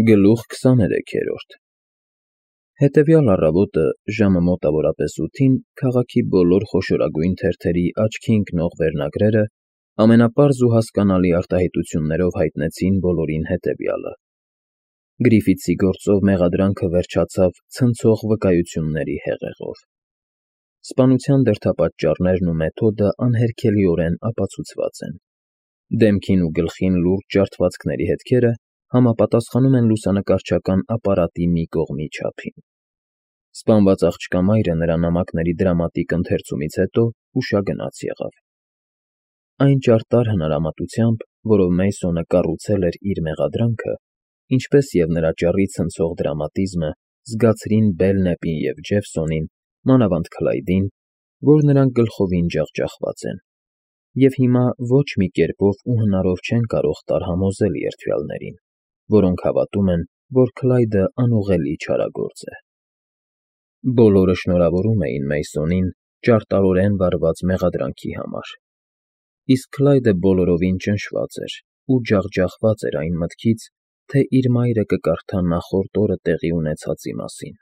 Գլուխ 23 Հետևյալ առավոտը ժամը մոտավորապես 8-ին քաղաքի բոլոր խոշորագույն թերթերի աչքի ընկնող վերնագրերը ամենապարզ ու հասկանալի արտահայտություններով հայտնեցին բոլորին հետևյալը. Գրիֆիթսի գործով մեղադրանքը վերջացավ ցնցող վկայությունների հեղեղով։ Սպանության դրդապատճառներն ու մեթոդը անհերքելիորեն ապացուցված են։ Դեմքին ու գլխին լուրջ ջարդվածքների հետքերը համապատասխանում են լուսանկարչական ապարատի մի կողմի չափին։ Սպանված աղջկա մայրը նրա նամակների դրամատիկ ընթերցումից հետո հուշագնաց եղավ։ Այն ճարտար հնարամտությամբ, որով Մեյսոնը կառուցել էր իր մեղադրանքը, ինչպես և նրա ճառի ցնցող դրամատիզմը զգացրին Բելնեպին և Ջեֆսոնին, մանավանդ Քլայդին, որ նրանք գլխովին ջախջախված են, և հիմա ոչ մի կերպով ու հնարով չեն կարող տարհամոզել երդվյալներին, որոնք հավատում են, որ Քլայդը անուղղելի չարագործ է։ Բոլորը շնորհավորում էին Մեյսոնին ճարտարորեն վարված մեղադրանքի համար, իսկ Քլայդը բոլորովին ճնշված էր ու ջախջախված էր այն մտքից, թե իր մայրը կկարդա նախորդ օրը տեղի ունեցածի մասին։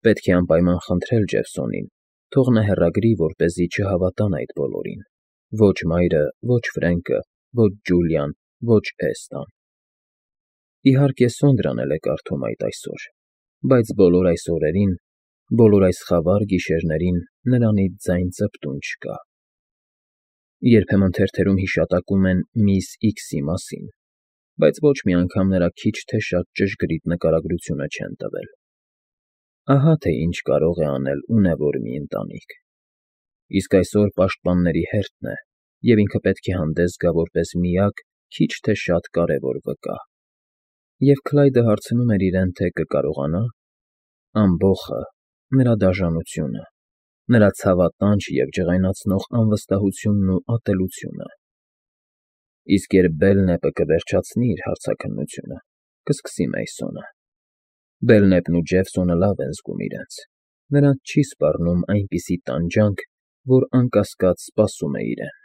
Պետք է անպայման խնդրել Ջեֆսոնին, թող նա հեռագրի, որպեսզի չհավատան այդ բոլորին, ոչ մայրը, ոչ Ֆրենկը, ոչ Ջուլիան, ոչ Էստան։ Իհարկե, Սոնդրան էլ է կարդում այդ այսօր, բայց բոլոր այս օրերին, բոլոր այս խավար գիշերներին նրանից ձայն ծպտուն չկա։ Երբեմն թերթերում հիշատակում են միս Իքսի մասին, բայց ոչ մի անգամ նրա քիչ թե շատ ճշգրիտ նկարագրությունը չեն տվել։ Ահա թե ինչ կարող է անել ունևոր մի ընտանիք։ Իսկ այսօր պաշտպանների հերթն է, և ինքը պետք է հանդես գա որպես միակ, քիչ թե շատ կարևոր վկա։ Եվ Քլայդը հարցնում էր իրեն, թե կկարողանա՞։ Ամբոխը, նրա դաժանությունը, նրա ցավատանջ և ջղայնացնող անվստահությունն ու ատելությունը։ Իսկ երբ Բելնեպը կվերջացնի իր հարցաքննությունը, կսկսի Մեյսոնը։ Բելնեպն ու Ջեֆսոնը լավ են զգում իրենց, նրանց չի սպառնում այնպիսի տանջանք, որ անկասկած սպասում է իրեն։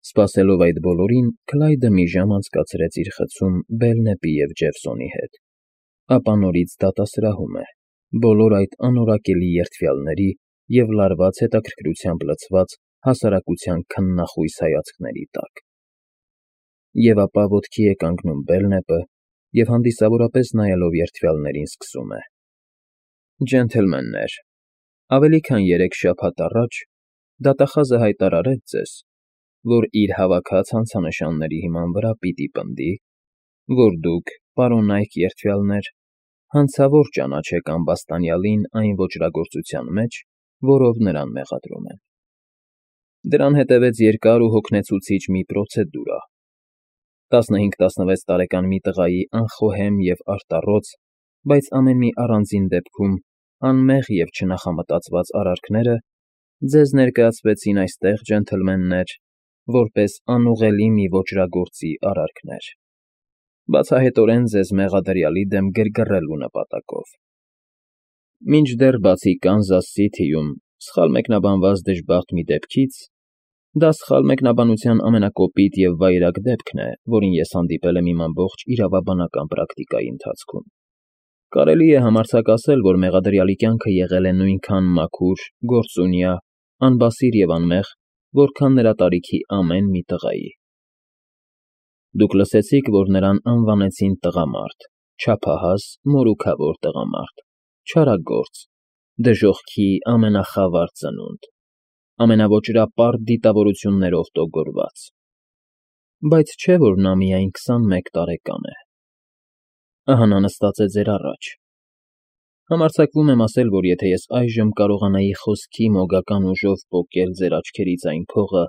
Սպասելով այդ բոլորին, Քլայդը մի ժամ անցկացրեց իր խցում Բելնեպի և Ջեֆսոնի հետ, ապա նորից դատասրահում է, բոլոր այդ անորակելի երդվյալների և լարված հետաքրքրությամբ լցված հասարակության քննախույս հայացքների տակ։ Եվ ապա ոտքի է կանգնում Բելնեպը և հանդիսավորապես նայելով երդվյալներին սկսում է. Ջենթլմեններ, ավելի քան 3 շաբաթ առաջ դատախազը հայտարարեց ձեզ, որ իր հավաքած հանցանշանների հիման վրա պիտի պնդի, որ դուք, պարոնայք երդվյալներ, հանցավոր ճանաչեք ամբաստանյալին այն ոճրագործության մեջ, որով նրան մեղադրում են։ Դրան հետևեց երկար ու հոգնեցուցիչ մի պրոցեդուրա։ 15-16 տարեկան մի տղայի անխոհեմ և արտառոց, բայց ամեն մի առանձին դեպքում անմեղ և չնախամտածված արարքները ձեզ ներկայացվեցին այստեղ, ջենթլմեններ, որպես անուղղելի մի ոճրագործի արարքներ, բացահայտորեն ձեզ մեղադրյալի դեմ գրգռելու նպատակով։ Մինչդեռ բացի Կանզաս Սիթիում սխալ մեկնաբանված դժբախտ մի դեպքից, դա սխալ մեկնաբանության ամենակոպիտ և վայրագ դեպքն է, որին ես հանդիպել եմ իմ ամբողջ իրավաբանական պրակտիկայի ընթացքում։ Կարելի է համարձակ ասել, որ մեղադրյալի կյանքը եղել է նույնքան մաքուր, գործունյա, անբասիր և անմեղ, որքան նրա տարիքի ամեն մի տղայի։ Դուք լսեցիք, որ նրան անվանեցին տղամարդ, չափահաս, մորուքավոր տղամարդ, չարագործ, դժոխքի ամենախավար ծնունդ, ամենաոճրապարտ դիտավորություններով տոգորված։ Բայց չէ՞ որ նա միայն 21 տարեկան է։ Ահա նա նստած է ձեր առաջ։ Համարձակվում եմ ասել, որ եթե ես այժմ կարողանայի խոսքի մոգական ուժով պոկել ձեր աչքերից այն փողը,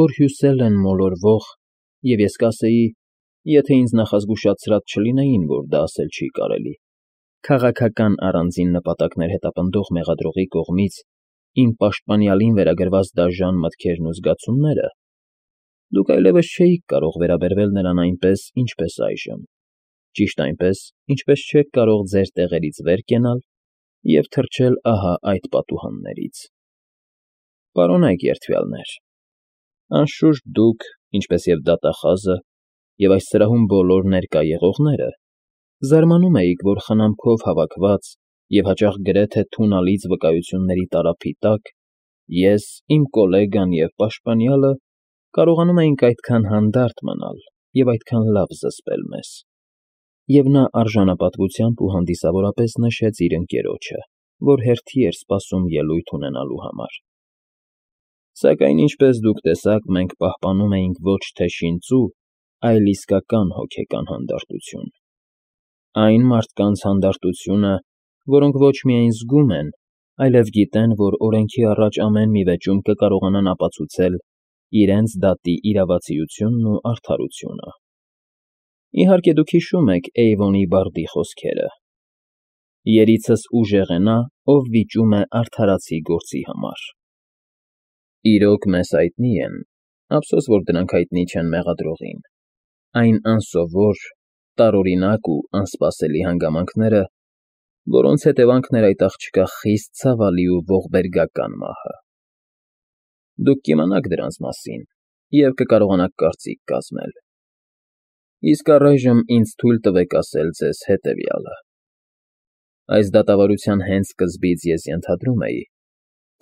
որ հյուսել են մոլորվող, և ես կասեի, եթե ինձ նախազգուշացրած չլինեին, որ դա ասել չի կարելի, քաղաքական առանձին նպատակներ հետապնդող մեղադրողի կողմից իմ պաշտպանյալին վերագրված դաժան մտքերն ու զգացումները, դուք այլևս չէիք կարող վերաբերվել նրան այնպես, ինչպես այժմ, ճիշտ այնպես, ինչպես չեք կարող ձեր տեղերից վեր կենալ և թռչել ահա այդ պատուհաններից։ Պարոնայք երդվյալներ, անշուշտ դուք, ինչպես և դատախազը, և այս սրահում բոլոր ներկա եղողները, զարմանում էիք, որ խնամքով հավաքված և հաճախ գրեթե թունալից վկայությունների տարափի տակ ես, իմ գոլեգան և պաշտպանյալը կարողանում էինք այդքան հանդարտ մնալ և այդքան լավ զսպել մեզ։ Եվ նա արժանապատվությամբ ու հանդիսավորապես նշեց իր ընկերոջը, որ հերթի էր սպասում ելույթ ունենալու համար։ Սակայն, ինչպես դուք տեսաք, մենք պահպանում էինք ոչ թե շինծու, այլ իսկական հոգեկան հանդարտություն։ Այն մարդկանց հանդարտությունը, որոնք ոչ միայն զգում են, այլև գիտեն, որ օրենքի առաջ ամեն մի վեճում կկարողանան ապացուցել իրենց դատի իրավացիությունն ու արդարությունը։ Իհարկե, դուք հիշում եք Էյվոնի բարդի խոսքերը. «Երիցս ուժեղ է նա, ով վիճում է արդարացի գործի համար»։ Իրոք, մեզ հայտնի են, ափսոս, որ դրանք հայտնի չեն մեղադրողին, այն անսովոր, տարօրինակ ու անսպասելի հանգամանքները, որոնց հետևանքն էր այդ աղջկա խիստ ցավալի ու ողբերգական մահը։ Դուք կիմանաք դրանց մասին և կկարողանաք կարծիք կազմել։ Իսկ առայժմ ինձ թույլ տվեք ասել ձեզ հետևյալը. այս դատավարության հենց սկզբից ես ենթադրում էի,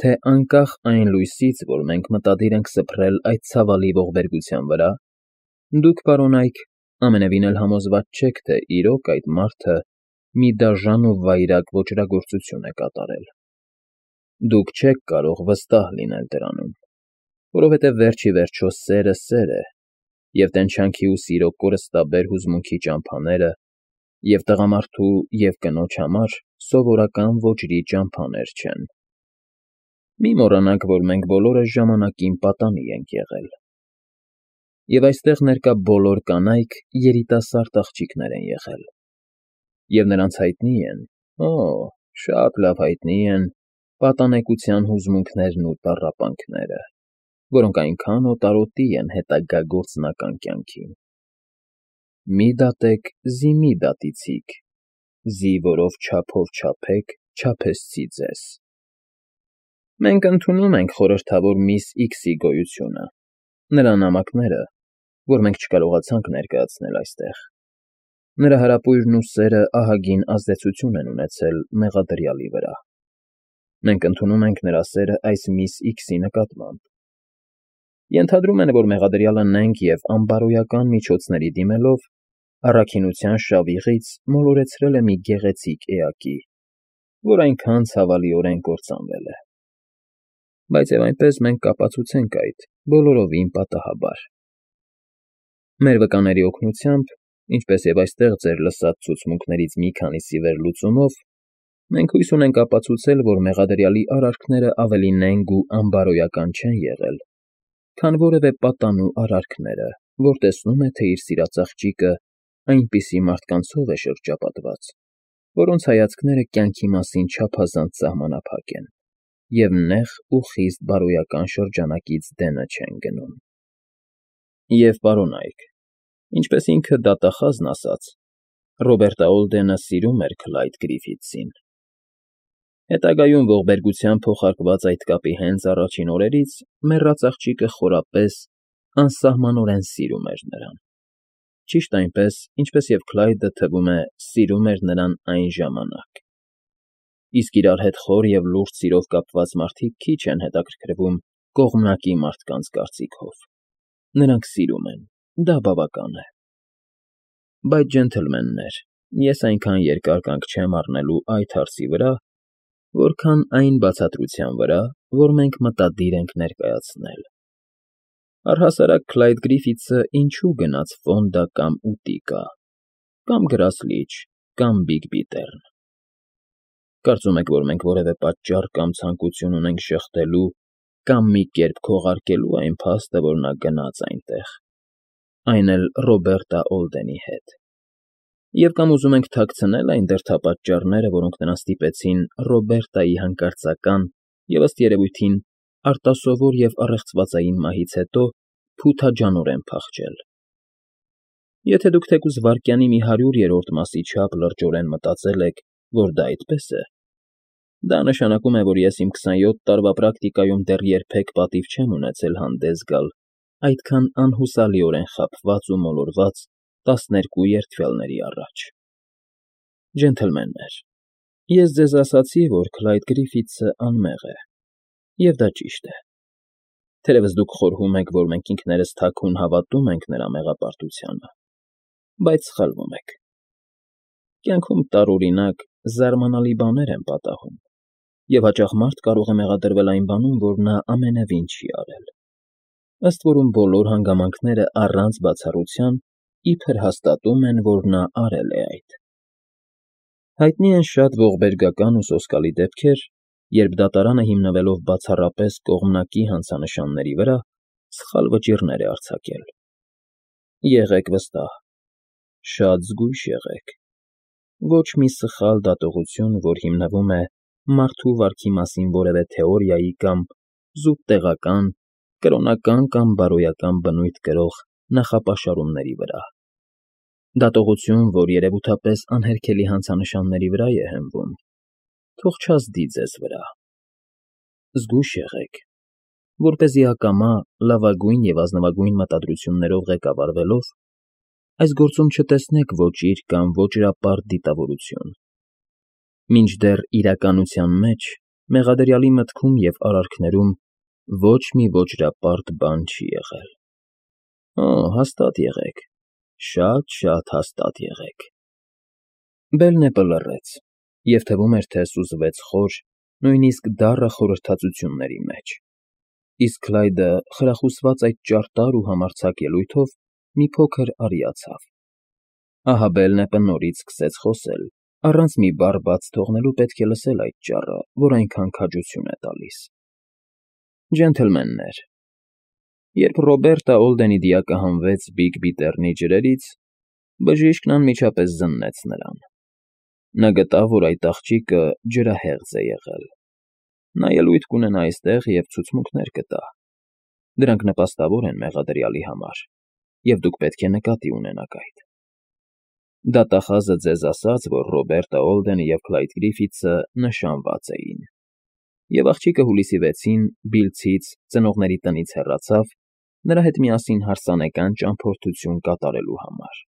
թե անկախ այն լույսից, որ մենք մտադիր ենք սփռել այդ ցավալի ողբերգության վրա, դուք, պարոն Այք, ամենևին էլ համոզված չեք, թե իրոք այդ մարդը մի դաժան ու վայրագ ոճրագործություն է կատարել։ Դուք չեք կարող վստահ լինել դրանում, որովհետև վերջ ի վերջո սերը սեր է, և տենչանքի ու սիրո կորստաբեր հուզմունքի ճամփաները և տղամարդու և կնոջ համար սովորական ոճրի ճամփաներ չեն։ Մի մոռանաք, որ մենք բոլորս ժամանակին պատանի ենք եղել, և այստեղ ներկա բոլոր կանայք երիտասարդ աղջիկներ են եղել, և նրանց հայտնի են, օ, շատ լավ հայտնի են պատանեկության հուզմունքներն ու տառապանքները, որոնք այնքան օտարոտի են հետագա գործնական կյանքին։ Մի դատեք, զի մի դատիցիք, զի որով չափով չափեք, չափեսցի ձեզ։ Մենք ընդունում ենք խորհրդավոր միս Իքսի գոյությունը, նրա նամակները, որ մենք չկարողացանք ներկայացնել այստեղ։ Նրա հարապույրն ու սերը ահագին ազդեցություն են ունեցել մեղադրյալի վրա։ Մենք ընդունում ենք նրա սերը այս միս Իքսի նկատմամբ։ Ենթադրում են, որ մեղադրյալը նենգ և անբարոյական միջոցների դիմելով առաքինության շավիղից մոլորեցրել է մի գեղեցիկ էակի, որ այնքան ցավալիորեն կործանվել է։ Բայց և այնպես մենք կապացուցենք այդ բոլորովին պատահաբար։ Մեր վկաների օգնությամբ, ինչպես և այստեղ ձեր լսած ցուցմունքներից մի քանիսի վերլուծումով, մենք հույս ունենք ապացուցել, որ մեղադրյալի արարքները ավելի նենգ ու անբարոյական չեն եղել, քան որևէ պատանու արարքները, որ տեսնում է, թե իր սիրած աղջիկը այնպիսի մարդկանցով է շրջապատված, որոնց հայացքները կյանքի մասին չափազանց սահմանափակ են և նեղ ու խիստ բարոյական շրջանակից դենը չեն գնում։ Եվ, պարոն Այք, ինչպես ինքը դատախազն ասաց, Ռոբերտը Օլդենը սիրում էր Քլայդ Գրիֆիթսին։ Հետագայում ողբերգությամբ փոխարկված այդ կապի հենց առաջին օրերից մեռած աղջիկը խորապես, անսահմանորեն սիրում էր նրան։ Ճիշտ այնպես, ինչպես և Քլայդը, թվում է, սիրում էր նրան այն ժամանակ։ Իսկ իրար հետ խոր և լուրջ սիրով կապված մարդիկ քիչ են հետաքրքրվում կողմնակի մարդկանց կարծիքով։ Նրանք սիրում են, դա բավական է։ Բայց, ջենթլմեններ, ես այնքան երկար կանգ չեմ առնելու այդ հարցի վրա, որքան այն բացատրության վրա, որ մենք մտադիր ենք ներկայացնել։ Առհասարակ Քլայդ Գրիֆիթսը ինչու գնաց Ֆոնդա կամ Ուտիկա, կամ Գրասլիչ, կամ Բիգբիտեռն։ Կարծում եք, որ մենք որևէ պատճառ կամ ցանկություն ունենք ժխտելու կամ մի կերպ քողարկելու այն փաստը, որ նա գնաց այնտեղ, այն էլ Ռոբերտա Օլդենի հետ։ Եվ կամ ուզում ենք թաքցնել այն դրդապատճառները, որոնք նրան ստիպեցին Ռոբերտայի հանկարծական և, ըստ երևույթին, արտասովոր և առեղծվածային մահից հետո փութաջանորեն փախչել։ Եթե դուք թեկուզ վայրկյանի մի 100-րդ մասի չափ լրջորեն մտածել եք, որ դա այդպես է, դա նշանակում է, որ ես իմ 27 տարվա պրակտիկայում դեռ երբեք պատիվ չեմ ունեցել հանդես գալ այդքան անհուսալիորեն խաբված ու մոլորված 12 երդվյալների առաջ։ Ջենթլմեններ, ես ձեզ ասացի, որ Քլայդ Գրիֆիթսը անմեղ է, և դա ճիշտ է։ Թերևս դուք խորհում եք, որ մենք ինքներս թաքուն հավատում ենք նրա մեղապարտությանը, բայց սխալվում եք։ Կյանքում տարօրինակ, զարմանալի բաներ են պատահում, և հաճախ մարդ կարող է մեղադրվել այն բանում, որ նա ամենևին չի արել։ Ըստ որում բոլոր հանգամանքները առանց բացառության իբր հաստատում են, որ նա արել է այդ։ Հայտնի են շատ ողբերգական ու սոսկալի դեպքեր, երբ դատարանը հիմնվելով բացառապես կողմնակի հանցանշանների վրա, սխալ վճիռներ է արձակել։ Եղեք վստահ, շատ զգույշ եղեք։ Ոչ մի սխալ դատողություն, որ հիմնվում է մարդու վարքի մասին որևէ թեորիայի կամ զուտ տեղական, կրոնական կամ բարոյական բնույթ կրող նախապաշարումների վրա։ Դատողություն, որ երևութապես անհերքելի հանցանշանների վրա է հենվում, թող չազդի ձեզ վրա։ Զգույշ եղեք, որպեսզի ակամա լավագույն և ազնվագույն մտադրություններով ղեկավարվելով այս գործում չտեսնեք ոճիր կամ ոճրապարտ դիտավորություն։ Մինչդեռ իրականության մեջ մեղադրյալի մտքում և արարքներում ոչ մի ոճրապարտ բան չի եղել։ Հաստատ եղեք, շատ հաստատ եղեք։ Բելնեպը լռեց, և թվում էր, թե սուզվեց խոր, նույնիսկ դառը խորհրդածությունների մեջ, իսկ Քլայդը խրախուսված այդ ճարտար ու համարձակ ելույթով մի փոքր արիացավ։ Ահա Բելնեպը նորից սկսեց խոսել, առանց մի բառ բաց թողնելու պետք է լսել այդ ճառը, որ այնքան քաջություն է տալիս։ Ջենթլմեններ, երբ Ռոբերտա Օլդենի դիակը հանվեց Բիգբի Տեռնի ջրերից, բժիշկն անմիջապես զննեց նրան։ Նա գտավ, որ այդ աղջիկը ջրահեղձ է եղել։ Նա ելույթ կունենա այստեղ և ցուցմունքներ կտա։ Դրանք նպաստավոր են մեղադրյալի համար, և դուք պետք է նկատի ունենաք այդ։ Դատախազը ձեզ ասաց, որ Ռոբերտա Օլդենը և Քլայդ Գրիֆիթսը նշանված էին, և աղջիկը հուլիսի 6-ին Բիլցից ծնողների տնից հեռացավ նրա հետ միասին հարսանեկան ճամփորդություն կատարելու համար։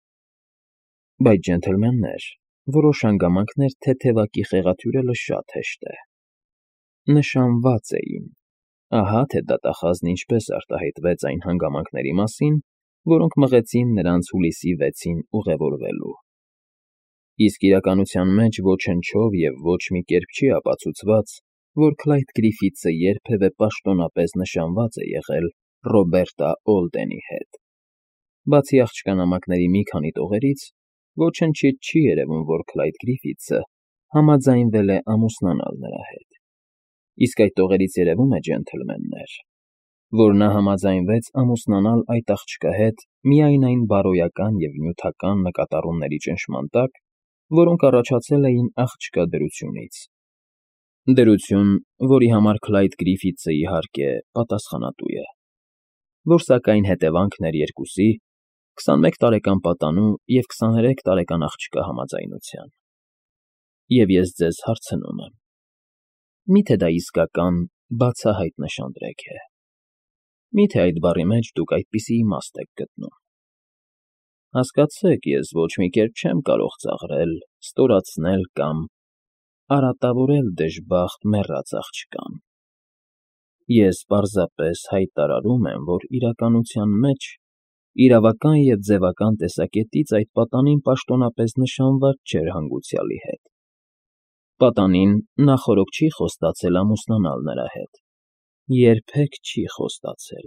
Բայց, ջենթլմեններ, որոշ հանգամանքներ թեթևակի խեղաթյուրելը շատ հեշտ է։ Նշանված էին։ Ահա թե դատախազն ինչպես արտահայտվեց այն հանգամանքների մասին, որոնք մղեցին նրանց հուլիսի 6-ին ուղևորվելու։ Իսկ իրականության մեջ ոչնչով և ոչ մի կերպ չի ապացուցված, որ Քլայդ Գրիֆիթսը երբևէ պաշտոնապես նշանված է եղել Ռոբերտա Օլդենի հետ։ Բացի աղջկա նամակների մի քանի տողերից, ոչնչից չի երևում, որ Քլայդ Գրիֆիթսը համաձայնվել է ամուսնանալ նրա հետ։ Իսկ այդ տողերից երևում է, ջենթլմեններ, որ նա համաձայնվեց ամուսնանալ այդ աղջկա հետ միայն այն բարոյական և նյութական նկատառումների ճնշման տակ, որոնք առաջացել էին աղջկա դրությունից։ Դրություն, որի համար Քլայդ Գրիֆիթսը, իհարկե, պատասխանատու է, որ սակայն հետևանքն էր երկուսի՝ 21 տարեկան պատանու և 23 տարեկան աղջկա համաձայնության։ Եվ ես ձեզ հարցնում եմ. մի՞թե դա իսկական, բացահայտ նշանдрեկ է։ Մի՞թե այդ բառի մեջ դուք այդպիսի իմաստ եք գտնում։ Հասկացեք, ես ոչ մի կերպ չեմ կարող ծաղրել, ստորացնել կամ արատավորել դժբախտ մեռած աղջկան։ Ես պարզապես հայտարարում եմ, որ իրականության մեջ, իրավական և ձևական տեսակետից այդ պատանին պաշտոնապես նշանված չէր հանգուցյալի հետ։ Պատանին նախօրոք չի խոստացել ամուսնանալ նրա հետ։ Երբեք չի խոստացել։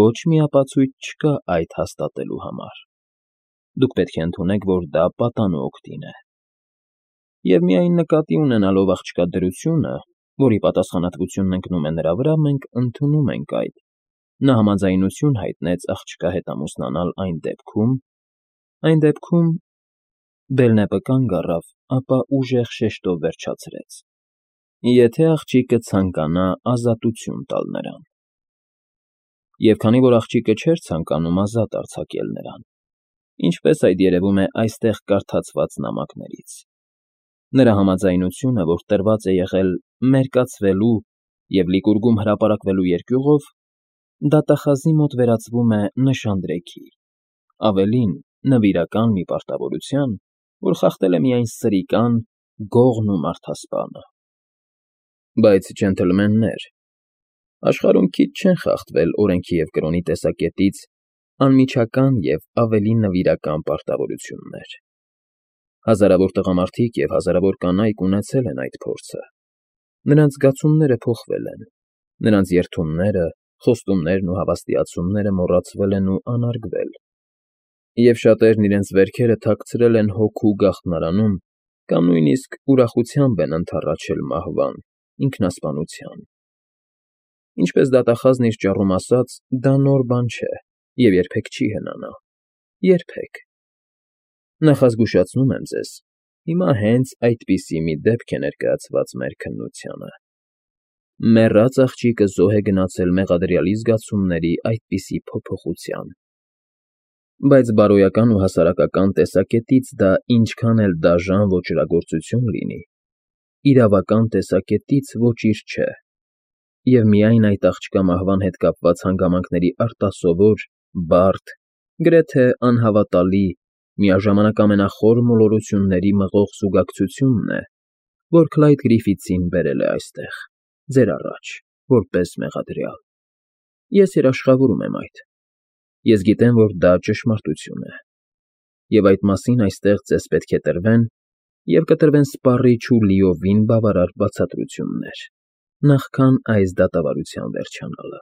Ոչ մի ապացույց չկա այդ հաստատելու համար։ Դուք պետք է ընդունեք, որ դա պատանու օգտին է։ Եվ միայն նկատի ունենալով աղջկա դրությունը, որի պատասխանատվությունն ընկնում է նրա վրա, մենք ընդունում ենք այդ։ Նա համաձայնություն հայտնեց աղջկա հետ ամուսնանալ այն դեպքում… Բելնեպը կանգ առավ, ապա ուժեղ շեշտով վերջացրեց. եթե աղջիկը ցանկանա ազատություն տալ նրան։ Եվ քանի որ աղջիկը չէր ցանկանում ազատ արձակել նրան, ինչպես այդ երևում է այստեղ կարդացված նամակներից, նրա համաձայնությունը, որ տրված է եղել մերկացվելու և լիկուրգում հրապարակվելու երկյուղով, դատախազի մոտ վերածվում է նշանդրեքի, ավելին՝ նվիրական մի պարտավորության, որ խախտել է միայն սրիկան, գողն ու մարդասպանը։ Բայց, ջենտլմեններ, աշխարհում քիչ չեն խախտվել օրենքի և կրոնի տեսակետից անմիջական և ավելի նվիրական պարտավորություններ։ Հազարավոր տղամարդիկ և հազարավոր կանայք ունեցել են այդ փորձը։ Նրանց զգացումները փոխվել են, նրանց երդումները, խոստումներն ու հավաստիացումները մոռացվել են ու անարգվել, և շատերն իրենց վերքերը թաքցրել են հոգու գաղտնարանում կամ նույնիսկ ուրախությամբ են ընդառաջել մահվան, ինքնասպանության։ Ինչպես դատախազն իր ճառում ասաց, դա նոր բան չէ և երբեք չի հնանա, երբեք։ Նախազգուշացնում եմ ձեզ, հիմա հենց այդպիսի մի դեպք է ներկայացված մեր քննությանը. մեռած աղջիկը զոհ է գնացել մեղադրյալի զգացումների այդպիսի փոփոխության։ Բայց բարոյական ու հասարակական տեսակետից դա ինչքան էլ դաժան ոճրագործություն լինի, իրավական տեսակետից ոճիր չէ, և միայն այդ աղջկա մահվան հետ կապված հանգամանքների արտասովոր, բարդ, գրեթե անհավատալի, միաժամանակ ամենախոր մոլորությունների մղող զուգակցությունն է, որ Քլայդ Գրիֆիթսին բերել է այստեղ, ձեր առաջ, որպես մեղադրյալ։ Ես երաշխավորում եմ այդ։ Ես գիտեմ, որ դա ճշմարտություն է, և այդ մասին այստեղ ձեզ պետք է տրվեն և կտրվեն սպառիչ ու լիովին բավարար բացատրություններ, նախքան այս դատավարության վերջանալը։